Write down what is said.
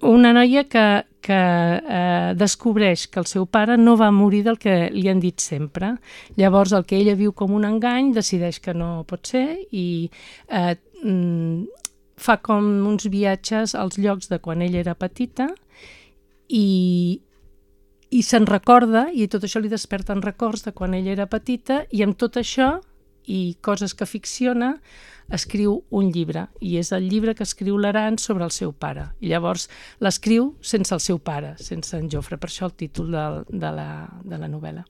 Una noia que descobreix que el seu pare no va morir del que li han dit sempre. Llavors, el que ella viu com un engany, decideix que no pot ser i fa com uns viatges als llocs de quan ella era petita i se'n recorda, i tot això li desperten records de quan ella era petita, i amb tot això i coses que ficciona, escriu un llibre, i és el llibre que escriu l'Aran sobre el seu pare. I llavors l'escriu sense el seu pare, sense en Jofre, per això el títol de la novel·la.